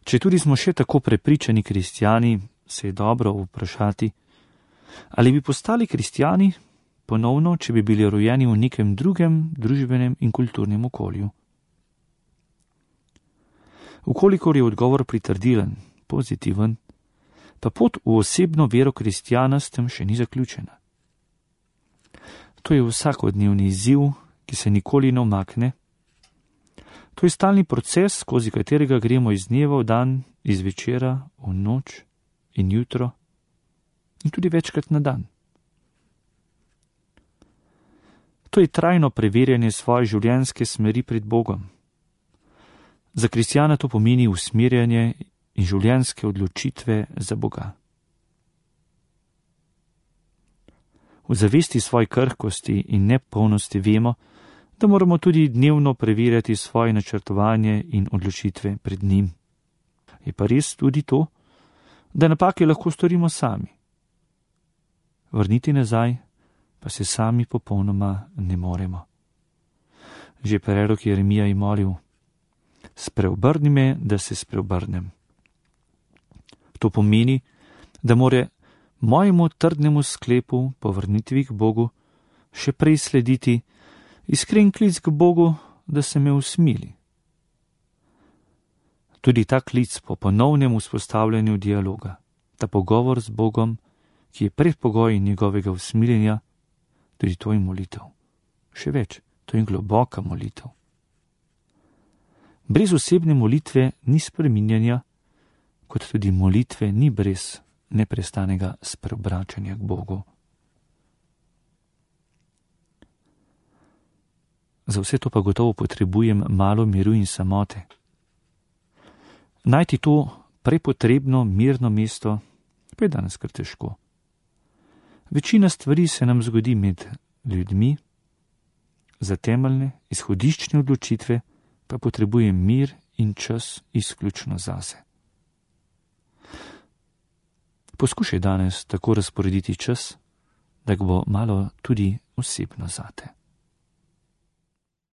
Če tudi smo še tako prepričani kristjani, se je dobro vprašati, ali bi postali kristjani ponovno, če bi bili rojeni v nekem drugem družbenem in kulturnem okolju. Ukolikor je odgovor pritrdilen, pozitiven, pa pot v osebno vero kristjana s tem še ni zaključena. To je vsakodnevni izziv, ki se nikoli ne umakne. To je stalni proces, skozi katerega gremo iz dneva v dan, iz večera v noč in jutro in tudi večkrat na dan. To je trajno preverjanje svoje življenjske smeri pred Bogom. Za kristjana to pomeni usmerjanje in življenjske odločitve za Boga. V zavesti svoje krhkosti in nepolnosti vemo, da moramo tudi dnevno preverjati svoje načrtovanje in odločitve pred njim. Je pa res tudi to, da napake lahko storimo sami. Vrniti nazaj pa se sami popolnoma ne moremo. Že prerok Jeremija je molil: spreobrni me, da se spreobrnem. To pomeni, da more mojemu trdnemu sklepu po vrnitvi k Bogu še prej slediti iskren klic k Bogu, da se me usmili. Tudi ta klic po ponovnem vzpostavljanju dialoga, ta pogovor z Bogom, ki je predpogoj njegovega usmiljenja, tudi to je molitev. Še več, to je globoka molitev. Brez osebne molitve ni spreminjanja, kot tudi molitve ni brez neprestanega spreobračanja k Bogu. Za vse to pa gotovo potrebujem malo miru in samote. Najti to prepotrebno mirno mesto pa je danes kar težko. Večina stvari se nam zgodi med ljudmi, za temeljne, izhodiščne odločitve pa potrebujem mir in čas izključno zase. Poskušaj danes tako razporediti čas, da ga bo malo tudi osebno zate.